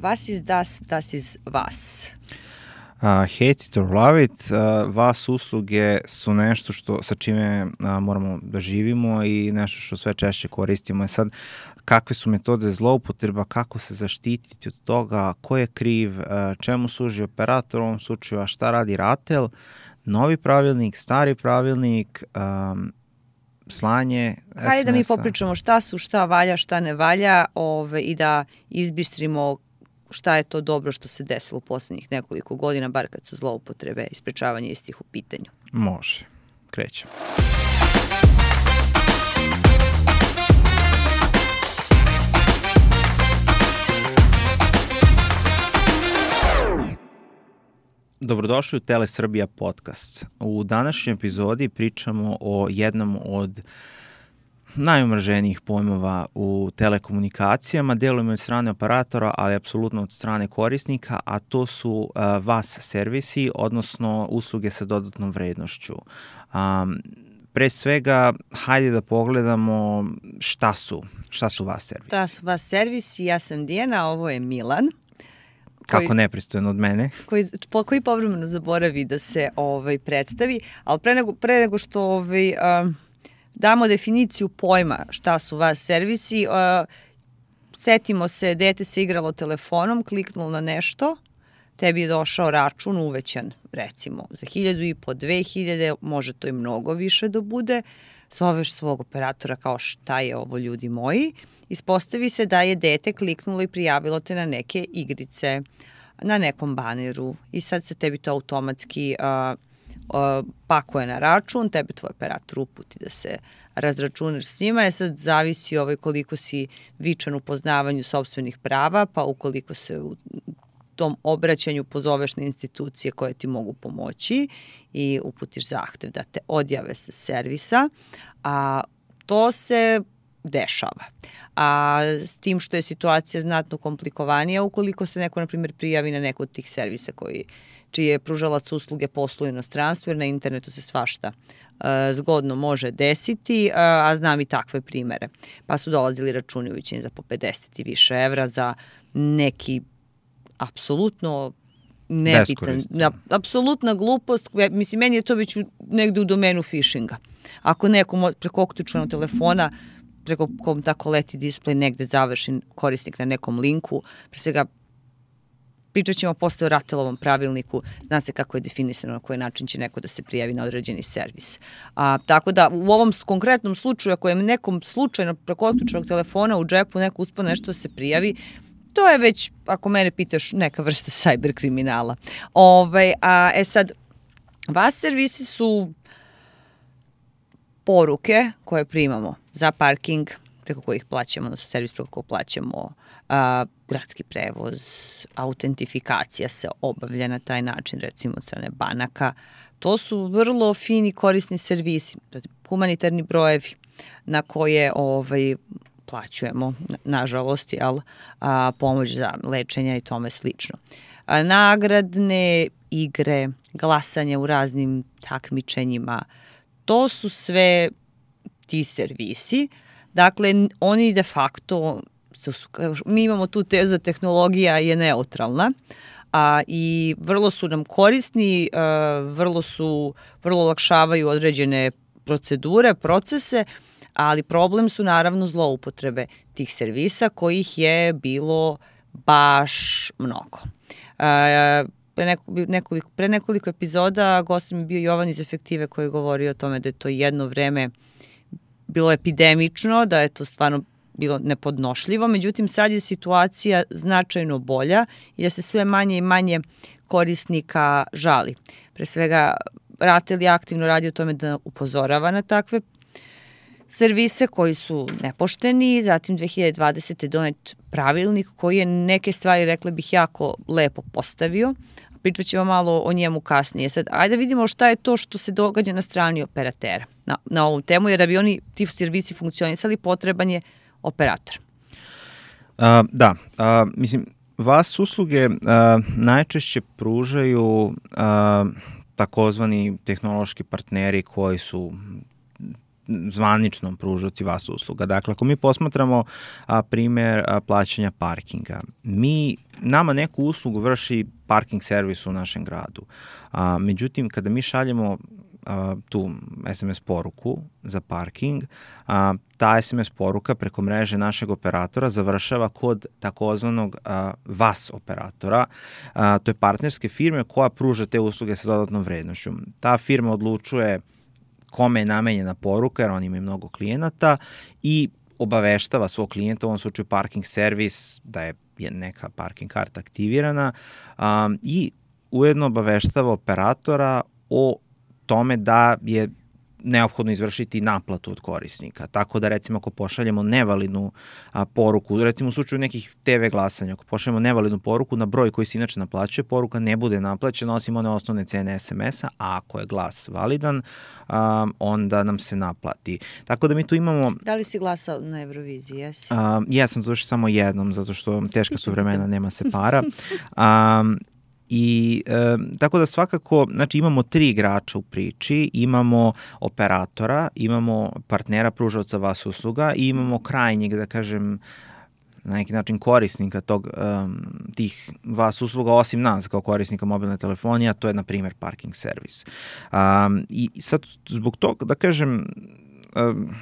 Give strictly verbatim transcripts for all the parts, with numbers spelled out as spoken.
Was is das, das is was. Uh, hate it or love it, uh, vas usluge su nešto što, sa čime uh, moramo da živimo i nešto što sve češće koristimo. I sad, kakve su metode zloupotreba, kako se zaštititi od toga, ko je kriv, uh, čemu služi operator u ovom slučaju, a šta radi RATEL, novi pravilnik, stari pravilnik, um, slanje es em es-a. Hajde da mi popričamo šta su, šta valja, šta ne valja ove, i da izbistrimo šta je to dobro što se desilo u posljednjih nekoliko godina, bar kad su zloupotrebe i sprečavanje istih u pitanju. Može. Krećemo. Dobrodošli u Tele Srbija podcast. U današnjoj epizodi pričamo o jednom od najomraženijih pojmova u telekomunikacijama, delujemo od strane operatora, ali apsolutno od strane korisnika, a to su uh, vas servisi, odnosno usluge sa dodatnom vrednošću. Um, pre svega, hajde da pogledamo šta su, šta su vas servisi. Šta su vas servisi, ja sam Dijana, ovo je Milan. Kako koji, nepristojno od mene. Koji, po, koji povremeno zaboravi da se ovaj, predstavi, ali pre nego, pre nego što ovaj, um, damo definiciju pojma šta su vas servisi, uh, setimo se, dete se igralo telefonom, kliknulo na nešto, tebi je došao račun uvećan, recimo, za hiljadu i po, dve hiljade, može to i mnogo više da bude, zoveš svog operatora kao šta je ovo ljudi moji, ispostavi se da je dete kliknulo i prijavilo te na neke igrice, na nekom baneru i sad se tebi to automatski uh, uh, pakuje na račun, tebi tvoj operator uputi da se razračunaš s njima, je sad zavisi ovaj koliko si vičan u poznavanju sopstvenih prava, pa ukoliko se u tom obraćanju pozoveš na institucije koje ti mogu pomoći i uputiš zahtev da te odjave sa servisa, a to se dešava. A s tim što je situacija znatno komplikovanija ukoliko se neko, na primjer, prijavi na neko od tih servisa koji, čiji je pružalac usluge poslu u inostranstvu, jer na internetu se svašta uh, zgodno može desiti, uh, a znam i takve primere. Pa su dolazili računi uvećani za po pedeset i više evra za neki apsolutno nebitan, apsolutna glupost. Mislim, meni je to već u, negde u domenu phishinga. Ako neko preko uključenog telefona preko kom tako leti display negde završi korisnik na nekom linku, pre svega pričat ćemo posle o RATEL-ovom pravilniku, zna se kako je definisano na koji način će neko da se prijavi na određeni servis. A, tako da u ovom konkretnom slučaju, ako je nekom slučajno preko uključenog telefona u džepu neko uspeo nešto da se prijavi, to je već, ako mene pitaš, neka vrsta cyber kriminala. Ove, a, e sad, vas servisi su poruke koje primamo za parking, preko kojih plaćamo, odnosno servis preko kojih plaćamo, a, gradski prevoz, autentifikacija se obavlja na taj način, recimo od strane banaka. To su vrlo fini korisni servisi, humanitarni brojevi na koje ovaj, plaćujemo, nažalost, jel, a, pomoć za lečenja i tome slično. A, nagradne igre, glasanje u raznim takmičenjima, to su sve ti servisi. Dakle, oni de facto, mi imamo tu tezu da tehnologija je neutralna a, i vrlo su nam korisni, a, vrlo su, vrlo olakšavaju određene procedure, procese, ali problem su naravno zloupotrebe tih servisa kojih je bilo baš mnogo. A, Pre nekoliko, pre nekoliko epizoda gost mi bio Jovan iz Efektive koji je govorio o tome da je to jedno vreme bilo epidemično, da je to stvarno bilo nepodnošljivo, međutim sad je situacija značajno bolja i da se sve manje i manje korisnika žali. Pre svega RATEL je aktivno radi o tome da upozorava na takve servise koji su nepošteni, zatim dve hiljade dvadesete donet pravilnik koji je neke stvari, rekla bih, jako lepo postavio. Pričat ćemo malo o njemu kasnije. Sad, ajde vidimo šta je to što se događa na strani operatera na, na ovu temu, jer da bi oni, ti servisi funkcionisali, potreban je operator. Uh, da, uh, mislim, vas usluge uh, najčešće pružaju uh, takozvani tehnološki partneri koji su zvaničnom pružaoci vas usluga. Dakle, ako mi posmatramo a, primer a, plaćanja parkinga, mi nama neku uslugu vrši parking servis u našem gradu. A, međutim, kada mi šaljemo a, tu es em es poruku za parking, a, ta es em es poruka preko mreže našeg operatora završava kod takozvanog a, vas operatora. A, to je partnerske firme koja pruža te usluge sa dodatnom vrednošću. Ta firma odlučuje kome je namenjena poruka, jer oni imaju mnogo klijenata, i obaveštava svog klijenta, u ovom slučaju parking servis, da je neka parking karta aktivirana, um, i ujedno obaveštava operatora o tome da je neophodno izvršiti naplatu od korisnika. Tako da, recimo, ako pošaljemo nevalidnu a, poruku, recimo u slučaju nekih te ve glasanja, ako pošaljemo nevalidnu poruku na broj koji se inače naplaćuje, poruka ne bude naplaćena osim one osnovne cene es em es-a, a ako je glas validan, a, onda nam se naplati. Tako da mi tu imamo... Da li si glasao na Euroviziji, jesi? A, ja sam to još samo jednom, zato što teška su vremena, nema se para. A, I e, tako da svakako, znači imamo tri igrača u priči, imamo operatora, imamo partnera pružaoca vas usluga i imamo krajnjeg, da kažem, na neki način korisnika tog, um, tih vas usluga, osim nas kao korisnika mobilne telefonije, a to je, na primjer, parking servis. Um, I sad, zbog toga, da kažem, um,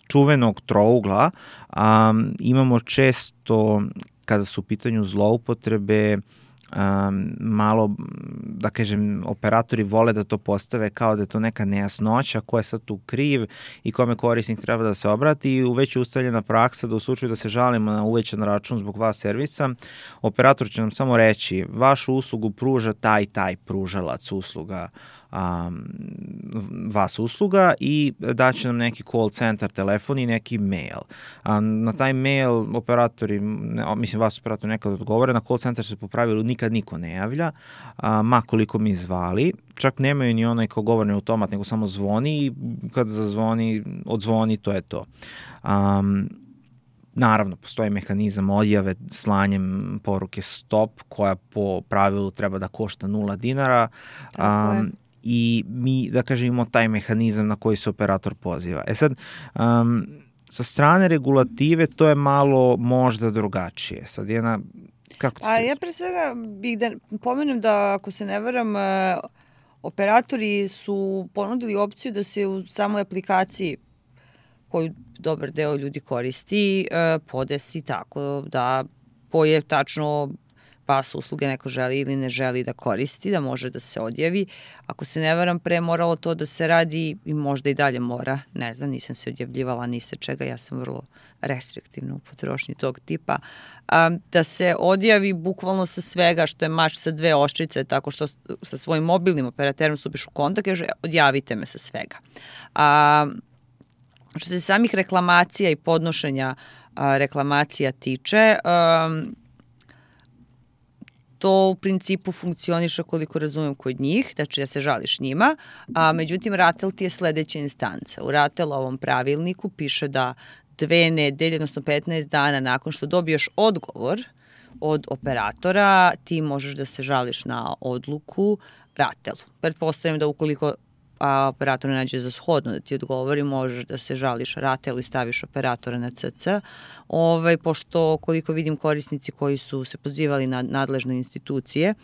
čuvenog trougla, um, imamo često, kada su u pitanju zloupotrebe, Um, malo, da kažem, operatori vole da to postave kao da je to neka nejasnoća, ko je sad tu kriv i kome korisnik treba da se obrati, i već je ustaljena praksa da u slučaju da se žalimo na uvećan račun zbog vas servisa, operator će nam samo reći: vašu uslugu pruža taj taj pružalac usluga, um, vas usluga, i daće nam neki call center telefon i neki mail. Um, na taj mail operatori, ne, mislim vas operator nekad odgovore, na call center se po pravilu nikad niko ne javlja, a, ma koliko mi zvali, čak nemaju ni onaj kao govorni automat, nego samo zvoni, i kad zazvoni, odzvoni, to je to. Um, Naravno, postoji mehanizam odjave slanjem poruke stop, koja po pravilu treba da košta nula dinara. Um, I mi, da kažem, imamo taj mehanizam na koji se operator poziva. E sad, um, sa strane regulative to je malo možda drugačije. Sad jedna... Kako A ja pre svega bih da pomenem da, ako se ne varam, operatori su ponudili opciju da se u samoj aplikaciji, koju dobar deo ljudi koristi, podesi tako da koje tačno vas usluge neko želi ili ne želi da koristi, da može da se odjavi. Ako se ne varam, pre moralo to da se radi, i možda i dalje mora, ne znam, nisam se odjavljivala ni sa čega, ja sam vrlo restriktivna u potrošnji tog tipa, a, da se odjavi bukvalno sa svega, što je mač sa dve oštrice, tako što sa svojim mobilnim operaterom stupiš u kontakt, kaže odjavite me sa svega. A, što se samih reklamacija i podnošenja a, reklamacija tiče, a, to u principu funkcioniše, koliko razumem, kod njih, znači da se žališ njima, a međutim RATEL ti je sledeća instanca. U RATEL-ovom pravilniku piše da dve nedelje, odnosno petnaest dana nakon što dobiješ odgovor od operatora, ti možeš da se žališ na odluku RATEL-u. Pretpostavljam da ukoliko a operator ne nađe za shodno da ti odgovori, možeš da se žališ RATEL-u i staviš operatora na ce ce, ovaj, pošto koliko vidim korisnici koji su se pozivali na nadležne institucije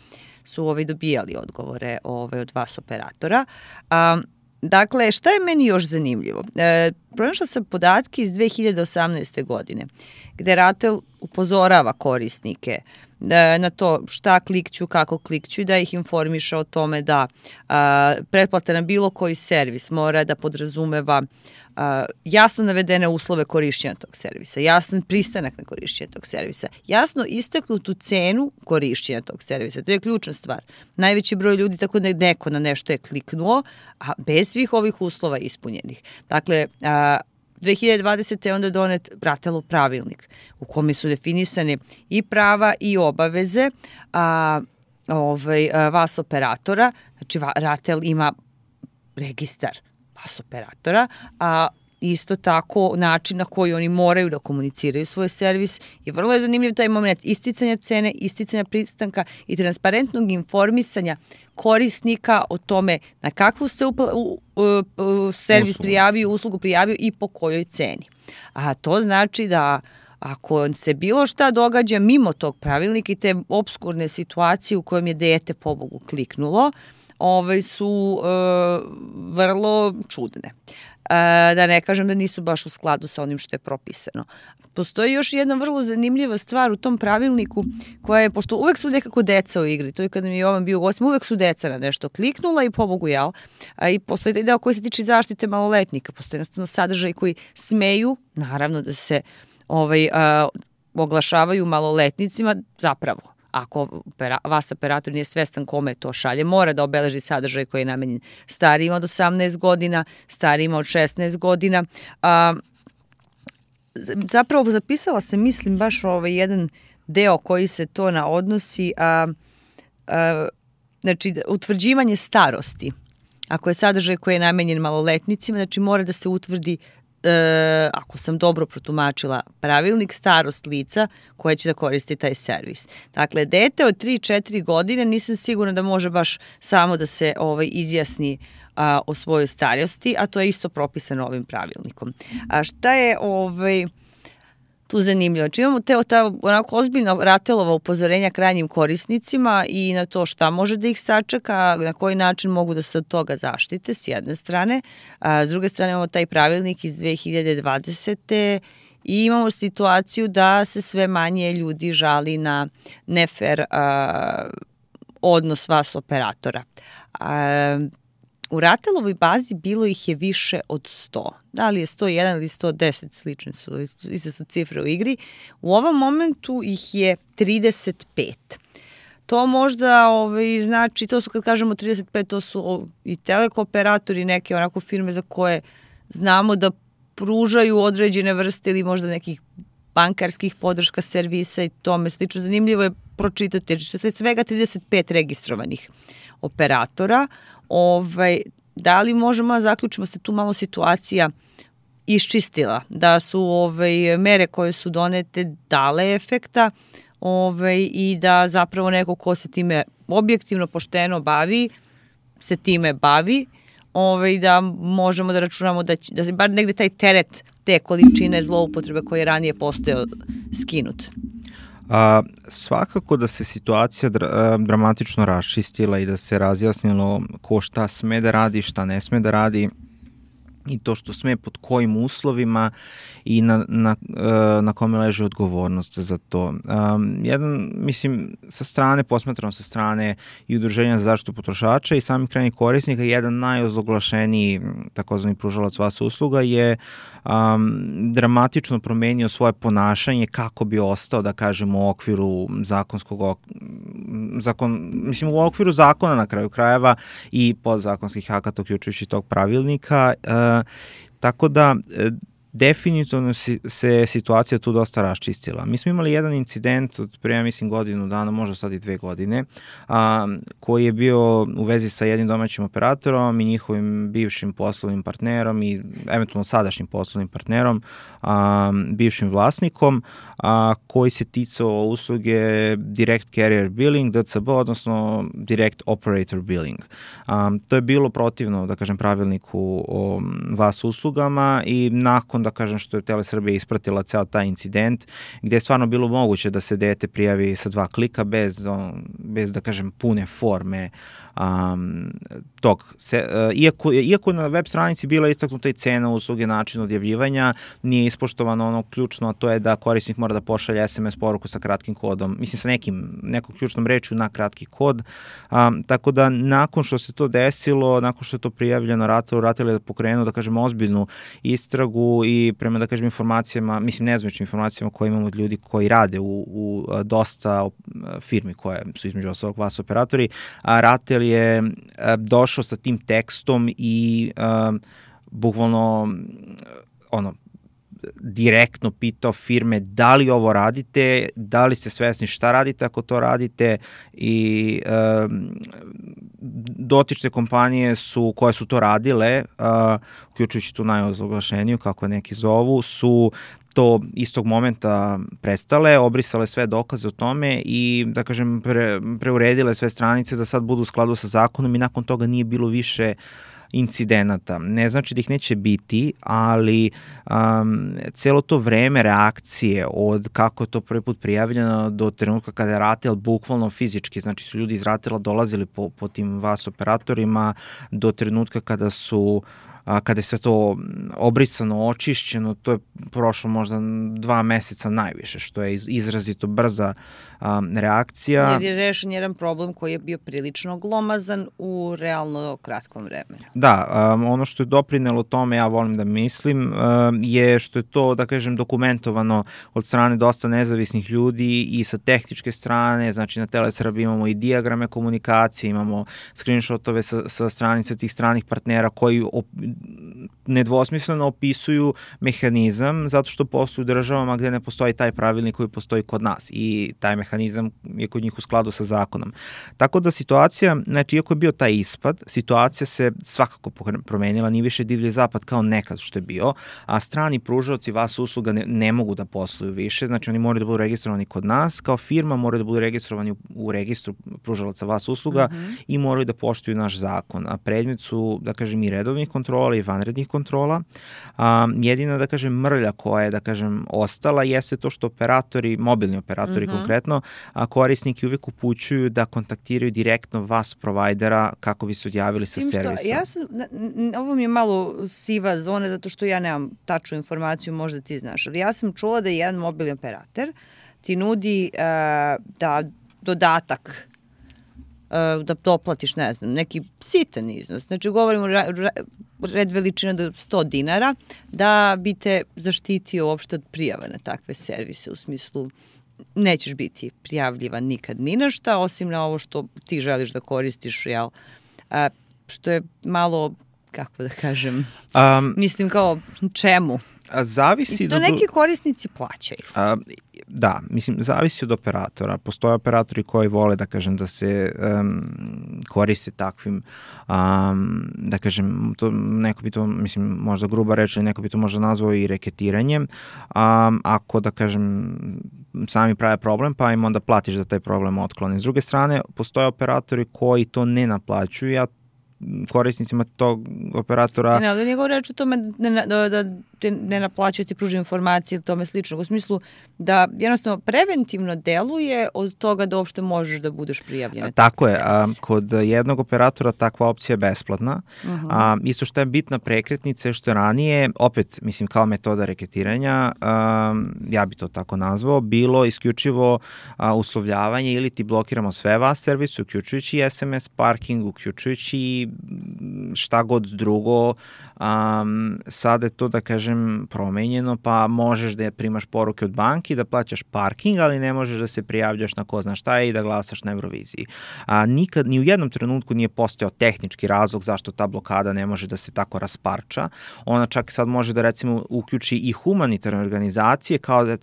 su ovaj, dobijali odgovore ovaj, od vas operatora. A, dakle, šta je meni još zanimljivo? E, pronašla sam podatke iz dve hiljade osamnaeste. godine, gde RATEL upozorava korisnike na to šta klikću, kako klikću, i da ih informiše o tome da a, pretplata na bilo koji servis mora da podrazumeva a, jasno navedene uslove korišćenja tog servisa, jasan pristanak na korišćenje tog servisa, jasno istaknutu cenu korišćenja tog servisa. To je ključna stvar. Najveći broj ljudi, tako da neko na nešto je kliknuo, a bez svih ovih uslova ispunjenih. Dakle, a, dve hiljade dvadesete. je onda donet RATEL-ov pravilnik u kome su definisane i prava i obaveze a, ovaj, a, vas operatora. Znači, RATEL ima registar vas operatora, a isto tako način na koji oni moraju da komuniciraju svoj servis, i vrlo je zanimljiv taj moment isticanja cene, isticanja pristanka i transparentnog informisanja korisnika o tome na kakvu se upla, u, u, u, servis uslugu. prijavio, uslugu prijavio i po kojoj ceni. A to znači da ako se bilo šta događa mimo tog pravilnika i te obskurne situacije u kojem je dete pobogu kliknulo, ove su e, vrlo čudne. E, da ne kažem da nisu baš u skladu sa onim što je propisano. Postoji još jedna vrlo zanimljiva stvar u tom pravilniku koja je, pošto uvek su nekako deca u igri, to je kada mi je Jovan bio gostim, uvek su deca na nešto kliknula i pobogu jel. A i postoji taj deo koji se tiče zaštite maloletnika, postoji jednostavno sadržaj koji smeju, naravno da se ovaj, a, oglašavaju maloletnicima zapravo. Ako opera, vas operator nije svestan kome to šalje, mora da obeleži sadržaj koji je namenjen starijima od osamnaest godina, starijima od šesnaest godina. A, zapravo zapisala sam, mislim, baš ovaj jedan deo koji se to na odnosi, a, a, znači utvrđivanje starosti. Ako je sadržaj koji je namenjen maloletnicima, znači mora da se utvrdi, E, ako sam dobro protumačila pravilnik, starost lica koje će da koristi taj servis. Dakle, dete od tri do četiri godine nisam sigurna da može baš samo da se ovaj, izjasni a, o svojoj starosti, a to je isto propisano ovim pravilnikom. A šta je ovaj, tu zanimljivo? Znači imamo te ta, onako ozbiljno Ratelova upozorenja krajnjim korisnicima i na to šta može da ih sačeka, na koji način mogu da se od toga zaštite s jedne strane. A, s druge strane imamo taj pravilnik iz dve hiljade dvadesete. i imamo situaciju da se sve manje ljudi žali na nefer a, odnos vas operatora. A, U Ratelovoj bazi bilo ih je više od sto. Da li je sto jedan ili sto deset, slične su, iste su cifre u igri. U ovom momentu ih je trideset pet. To možda ovaj, znači, to su kad kažemo trideset pet, to su i telekooperatori, neke onako firme za koje znamo da pružaju određene vrste ili možda nekih bankarskih podrška servisa i tome slično. Zanimljivo je pročitati, jer što je svega trideset pet registrovanih operatora. Ovaj, da li možemo da zaključimo se tu malo situacija iščistila, da su ovaj, mere koje su donete dale efekta ovaj, i da zapravo neko ko se time objektivno, pošteno bavi, se time bavi, ovaj, da možemo da računamo da, će, da se bar negde taj teret te količine zloupotrebe koje je ranije postojao skinut. A, svakako da se situacija dra, dramatično raščistila i da se razjasnilo ko šta sme da radi, šta ne sme da radi i to što sme pod kojim uslovima i na, na, na kome leže odgovornost za to. Um, jedan, mislim, sa strane, posmatrano sa strane i Udruženja za zaštitu potrošača i samih krajnjih korisnika, jedan najozloglašeniji takozvani pružalac vas usluga je um, dramatično promenio svoje ponašanje kako bi ostao, da kažemo, u okviru zakonskog, zakon, mislim, u okviru zakona na kraju krajeva i podzakonskih akata, uključujući tog pravilnika. Uh, tako da, definitivno se situacija tu dosta raščistila. Mi smo imali jedan incident od prema, mislim, godinu dana, možda sad i dve godine, a, koji je bio u vezi sa jednim domaćim operatorom i njihovim bivšim poslovnim partnerom i eventualno sadašnjim poslovnim partnerom, a, bivšim vlasnikom, a, koji se ticao usluge Direct Carrier Billing, D C B, odnosno Direct Operator Billing. A, to je bilo protivno, da kažem, pravilniku o vas uslugama i nakon, da kažem, što je Telesrbija ispratila ceo taj incident, gde je stvarno bilo moguće da se dete prijavi sa dva klika bez, bez da kažem, pune forme um, tog. Se, uh, iako, iako na web stranici bila istaknuta i cena usluge, način odjavljivanja, nije ispoštovano ono ključno, a to je da korisnik mora da pošalje es em es poruku sa kratkim kodom, mislim sa nekim, nekom ključnom rečju na kratki kod. Um, tako da nakon što se to desilo, nakon što je to prijavljeno, Ratel, Ratel je pokrenuo, da kažem, ozbiljnu istragu i prema, da kažem, informacijama, mislim, nezvaničnim informacijama koje imamo od ljudi koji rade u, u dosta firmi koje su između ostalog vas operatori, a Ratel je došao sa tim tekstom i uh, bukvalno ono, direktno pitao firme da li ovo radite, da li ste svesni šta radite ako to radite i uh, dotične kompanije su, koje su to radile, uh, uključujući tu najozloglašeniju, kako neki zovu, su to istog momenta prestale, obrisale sve dokaze o tome i, da kažem, pre, preuredile sve stranice da sad budu u skladu sa zakonom i nakon toga nije bilo više incidenata. Ne znači da ih neće biti, ali um, celo to vreme reakcije od kako je to prvi put prijavljeno do trenutka kada je RATEL bukvalno fizički, znači su ljudi iz RATEL-a dolazili po, po tim vas operatorima do trenutka kada su a, kada je sve to obrisano, očišćeno, to je prošlo možda dva meseca najviše, što je izrazito brza a, reakcija. Jer je rešen jedan problem koji je bio prilično glomazan u realno kratkom vremenu. Da, um, ono što je doprinelo tome, ja volim da mislim, um, je što je to, da kažem, dokumentovano od strane dosta nezavisnih ljudi i sa tehničke strane, znači na Telesrbi imamo i dijagrame komunikacije, imamo screenshotove sa, sa stranica tih stranih partnera koji op, nedvosmisleno opisuju mehanizam zato što postoji u državama gde ne postoji taj pravilnik koji postoji kod nas i taj mehanizam je kod njih u skladu sa zakonom. Tako da situacija, znači iako je bio taj ispad, situacija se svakako promenila, nije više divlji zapad kao nekad što je bio, a strani pružaoci vas usluga ne, ne mogu da posluju više, znači oni moraju da budu registrovani kod nas, kao firma moraju da budu registrovani u, u registru pružalaca vas usluga mm-hmm. i moraju da poštuju naš zakon, a predmet su, da kažem, i redovnih kontrola i vanrednih kontrola. A, jedina, da kažem, mrlja koja je, da kažem, ostala jeste to što operatori, mobilni operatori mm-hmm. konkretno, a korisniki uvijek upućuju da kontaktiraju direktno vas provajdera kako bi se odjavili sa servisa. Ja sam, ovo mi je malo siva zona zato što ja nemam tačnu informaciju, možda ti znaš, ali ja sam čula da jedan mobilni operator ti nudi uh, da dodatak uh, da doplatiš, ne znam, neki sitan iznos. Znači govorimo ra, ra, red veličina do sto dinara da bi te zaštitio uopšte od prijava na takve servise u smislu nećeš biti prijavljivan nikad ni na šta, osim na ovo što ti želiš da koristiš, jel? A, što je malo, kako da kažem, um, mislim kao čemu? A zavisi I to do... neki korisnici plaćaju. A, da, mislim, zavisi od operatora. Postoje operatori koji vole, da kažem, da se um, koriste takvim, um, da kažem, to, neko bi to, mislim, možda gruba reč, neko bi to možda nazvao i reketiranjem. Um, ako, da kažem, sami prave problem, pa im onda platiš da taj problem otkloni. S druge strane, postoje operatori koji to ne naplaćuju, ja korisnicima tog operatora... Ne, ali njegov reč o tome da, da, da te ne naplaćaju, ti pruži informacije ili tome slično, u smislu da jednostavno preventivno deluje od toga da uopšte možeš da budeš prijavljen. Tako je, a, kod jednog operatora takva opcija je besplatna. Uh-huh. A, isto što je bitna prekretnica je što je ranije, opet, mislim, kao metoda reketiranja, a, ja bi to tako nazvao, bilo isključivo a, uslovljavanje ili ti blokiramo sve vas servise, uključujući es em es parking, uključujući šta god drugo. Um, sada je to, da kažem, promenjeno, pa možeš da primaš poruke od banki, da plaćaš parking, ali ne možeš da se prijavljaš na ko zna šta i da glasaš na Euroviziji. A, nikad, ni u jednom trenutku nije postojao tehnički razlog zašto ta blokada ne može da se tako rasparča. Ona čak sad može da, recimo, uključi i humanitarne organizacije kao da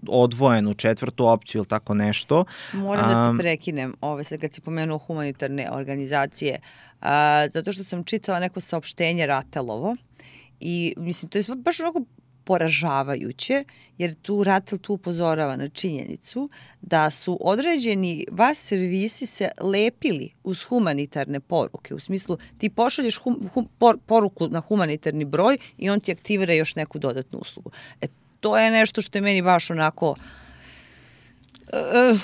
odvojenu četvrtu opciju ili tako nešto. Moram da te prekinem, ove, sad kad si pomenuo humanitarne organizacije, a, zato što sam čitala neko saopštenje RATEL-ovo i mislim, to je baš onako poražavajuće, jer tu RATEL tu upozorava na činjenicu da su određeni vas servisi se lepili uz humanitarne poruke. U smislu, ti pošalješ hum, hum, por, poruku na humanitarni broj i on ti aktivira još neku dodatnu uslugu. E, to je nešto što je meni baš onako... Uh,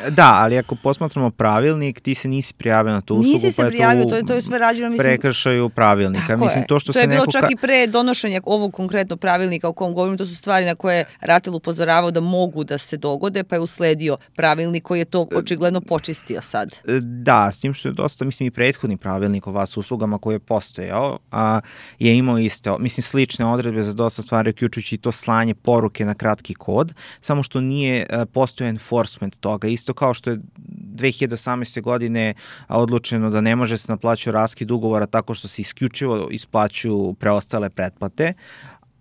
Da, ali ako posmatramo pravilnik, ti se nisi prijavio na tu uslugu, nisi se pa prijavio, to je, to je sve rađeno, mislim... prekršaju pravilnika. Tako mislim, je. To, što to se je bilo neko čak ka... i pre donošenja ovog konkretno pravilnika o kom govorim, to su stvari na koje RATEL upozoravao da mogu da se dogode, pa je usledio pravilnik koji je to očigledno počistio sad. Da, s tim što je dosta, mislim, i prethodni pravilnik o vas uslugama koji je postojao, a, je imao iste, mislim, slične odredbe za dosta stvari, uključujući i to slanje poruke na kratki kod, samo što nije a, postojao enforcement toga, isto kao što je dve hiljade osamnaeste. godine odlučeno da ne može se naplaćati raskid ugovora tako što se isključivo isplaćuju preostale pretplate,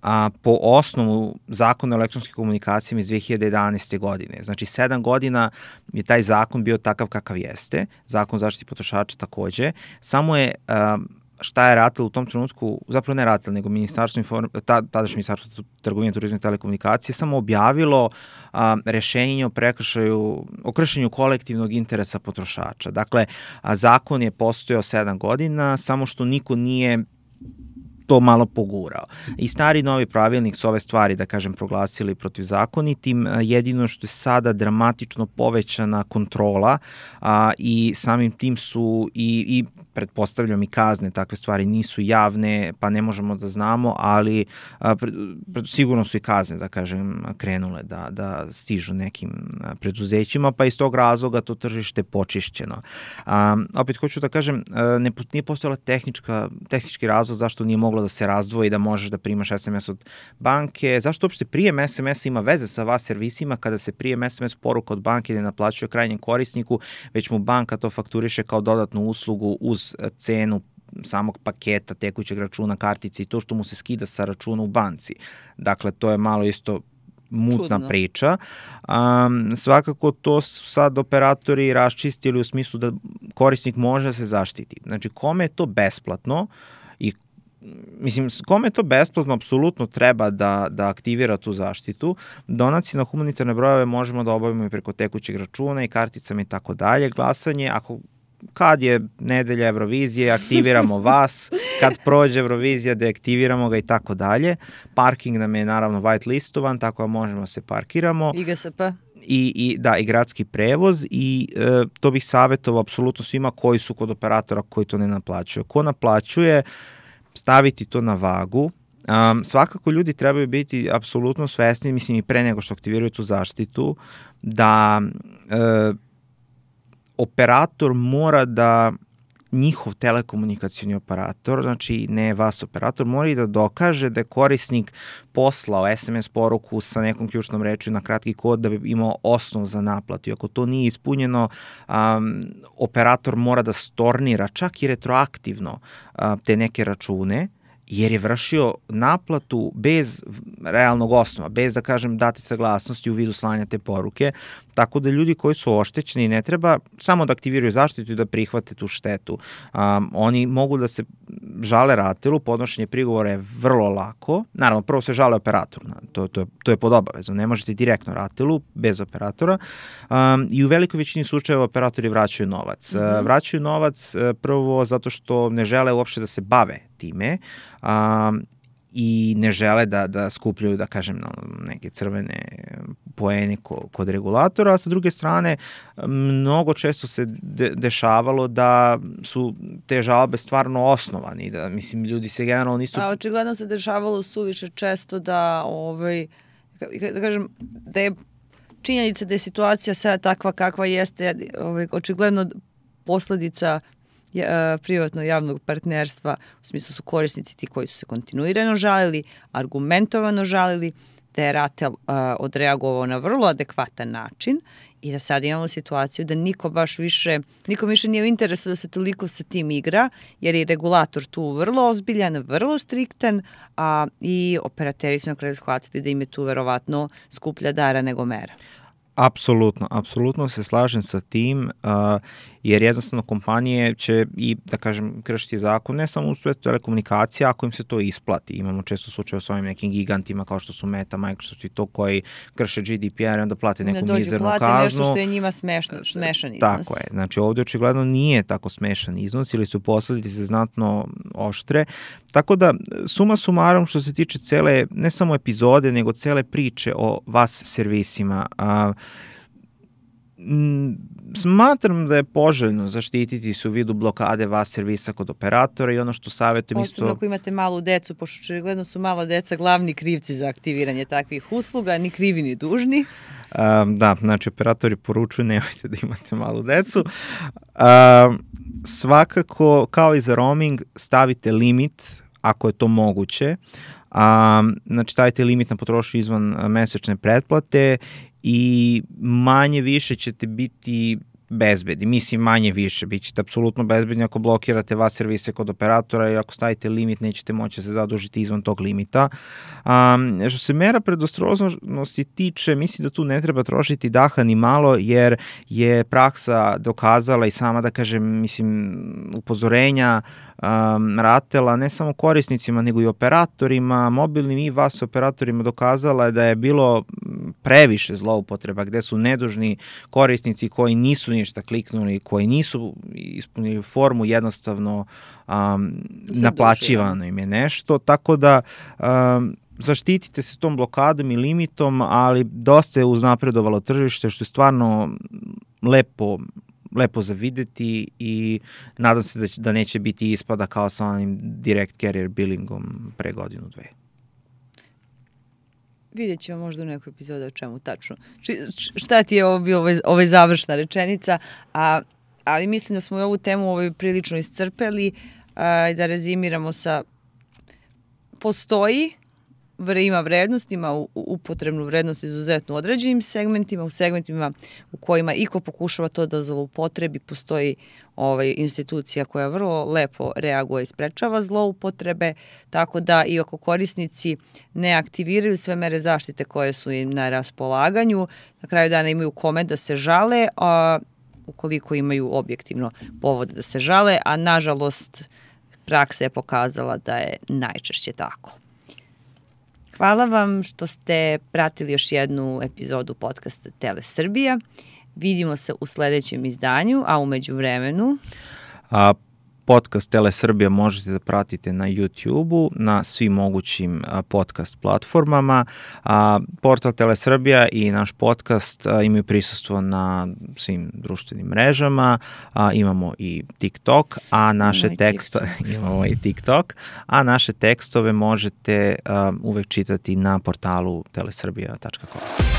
a po osnovu zakona o elektronskim komunikacijama iz dve hiljade jedanaeste. godine. Znači, sedam godina je taj zakon bio takav kakav jeste, zakon o zaštiti potrošača takođe, samo je um, šta je RATEL u tom trenutku, zapravo ne RATEL, nego Ministarstvo inform, ta, tadašnje Ministarstvo trgovine, turizma i telekomunikacije samo objavilo a, rešenje o prekršaju, o kršenju kolektivnog interesa potrošača. Dakle, a, zakon je postojao sedam godina, samo što niko nije to malo pogurao. I stari novi pravilnik su ove stvari, da kažem, proglasili protivzakonitim, jedino što je sada dramatično povećana kontrola a, i samim tim su i, i pretpostavljam i kazne, takve stvari nisu javne, pa ne možemo da znamo, ali a, pre, pre, sigurno su i kazne, da kažem, krenule da, da stižu nekim preduzećima, pa iz tog razloga to tržište počišćeno. A, opet hoću da kažem, ne, nije postojala tehnička, tehnički razlog zašto nije moglo da se razdvoji, da možeš da primaš es em es od banke. Zašto uopšte prijem es em es ima veze sa vas servisima kada se prijem es em es poruka od banke ne naplaćuje krajnjem korisniku, već mu banka to fakturiše kao dodatnu uslugu uz cenu samog paketa tekućeg računa, kartice i to što mu se skida sa računa u banci. Dakle, to je malo isto mutna Čudno. priča. Um, svakako to su sad operatori raščistili u smislu da korisnik može da se zaštiti. Znači, kome je to besplatno i mislim, kome je to besplatno, apsolutno treba da, da aktivira tu zaštitu. Donacije na humanitarne brojeve možemo da obavimo i preko tekućeg računa i karticama i tako dalje. Glasanje, ako kad je nedelja Eurovizije, aktiviramo vas, kad prođe Eurovizija, deaktiviramo ga i tako dalje. Parking nam je naravno white listovan, tako da možemo da se parkiramo. I G S P. I, i, da, i gradski prevoz i e, to bih savjetovao apsolutno svima koji su kod operatora koji to ne naplaćuju. Ko naplaćuje, staviti to na vagu. Um, svakako ljudi trebaju biti apsolutno svesni, mislim i pre nego što aktiviraju tu zaštitu, da e, operator mora da, njihov telekomunikacioni operator, znači ne vas operator, mora i da dokaže da je korisnik poslao es em es poruku sa nekom ključnom rečju na kratki kod da bi imao osnov za naplatu. I ako to nije ispunjeno, um, operator mora da stornira čak i retroaktivno uh, te neke račune, jer je vršio naplatu bez realnog osnova, bez, da kažem, date saglasnosti u vidu slanja te poruke, tako da ljudi koji su oštećeni ne treba samo da aktiviraju zaštitu i da prihvate tu štetu. Um, oni mogu da se žale RATEL-u, podnošenje prigovora je vrlo lako, naravno prvo se žale operatoru, to, to, je, to je pod obavezom, ne možete direktno RATEL-u bez operatora um, i u velikoj većini slučajeva operatori vraćaju novac. Mm-hmm. Uh, vraćaju novac uh, prvo zato što ne žele uopšte da se bave time, um, i ne žele da, da skupljaju, da kažem, neke crvene poene kod regulatora, a sa druge strane mnogo često se de, dešavalo da su te žalbe stvarno osnovani, da, mislim, ljudi se generalno nisu... A očigledno se dešavalo suviše često da, ovaj, da kažem, da je činjenica da je situacija sada takva kakva jeste, ovaj, očigledno posledica privatno javnog partnerstva, u smislu su korisnici ti koji su se kontinuirano žalili, argumentovano žalili, da je RATEL uh, odreagovao na vrlo adekvatan način i da sad imamo situaciju da niko baš više, niko više nije u interesu da se toliko sa tim igra, jer je regulator tu vrlo ozbiljan, vrlo striktan, a i operateri su na kraju shvatili da im je tu verovatno skuplja dara nego mera. Apsolutno, apsolutno se slažem sa tim, uh, jer jednostavno kompanije će i, da kažem, kršiti zakon, ne samo u svetu telekomunikacija, ako im se to isplati. Imamo često slučaje s ovim nekim gigantima kao što su Meta, Microsoft i to koji krše G D P R i onda plate neku mizernu kaznu. Ne dođe, plate nešto što je njima smešno, smešan iznos. Tako je, znači ovdje očigledno nije tako smešan iznos ili su posledice znatno oštre. Tako da, suma sumarom što se tiče cele, ne samo epizode, nego cele priče o vas servisima, a, m, smatram da je poželjno zaštititi se u vidu blokade vas servisa kod operatora i ono što savjetujem isto... Posebno ako imate malu decu, pošto očigledno su mala deca glavni krivci za aktiviranje takvih usluga, ni krivi ni dužni. Um, da, znači operatori poručuju nemojte da imate malu decu. Um, svakako, kao i za roaming, stavite limit ako je to moguće. Um, znači stavite limit na potrošnju izvan mesečne pretplate i manje više ćete biti bezbedni. Mislim, manje više. Bićete apsolutno bezbedni ako blokirate vas servise kod operatora i ako stavite limit nećete moći se zadužiti izvan tog limita. Um, što se mera predostrožnosti tiče, mislim da tu ne treba trošiti daha ni malo, jer je praksa dokazala i sama, da kažem, mislim, upozorenja um, Ratela ne samo korisnicima nego i operatorima, mobilnim i vas operatorima dokazala je da je bilo previše zloupotreba gde su nedužni korisnici koji nisu ništa kliknuli, koji nisu ispunili formu, jednostavno um, naplaćivano im je nešto, tako da um, zaštitite se tom blokadom i limitom, ali dosta je uznapredovalo tržište, što je stvarno lepo lepo za videti i nadam se da, će, da neće biti ispada kao sa onim direct carrier billingom pre godinu, dve. Vidjet ćemo možda u nekoj epizodi o čemu tačno. Či, šta ti je ovo bio ovaj, ovaj završna rečenica, a, ali mislim da smo i ovu temu ovaj prilično iscrpeli i da rezimiramo sa postoji ima vrednost, ima upotrebnu vrednost izuzetno u određenim segmentima, u segmentima u kojima iko pokušava to da zloupotrebi, postoji ovaj, institucija koja vrlo lepo reaguje i sprečava zloupotrebe, tako da i ako korisnici ne aktiviraju sve mere zaštite koje su im na raspolaganju, na kraju dana imaju kome da se žale, a ukoliko imaju objektivno povod da se žale, a nažalost praksa je pokazala da je najčešće tako. Hvala vam što ste pratili još jednu epizodu podcasta Tele Srbija. Vidimo se u sledećem izdanju, a umeđu vremenu... A, podcast Tele Srbija možete da pratite na YouTube-u, na svim mogućim a, podcast platformama. A, portal Tele Srbija i naš podcast a, imaju prisustvo na svim društvenim mrežama. A, imamo i TikTok, a naše tekstove imamo i TikTok, a naše tekstove možete a, uvek čitati na portalu telesrbija tačka com.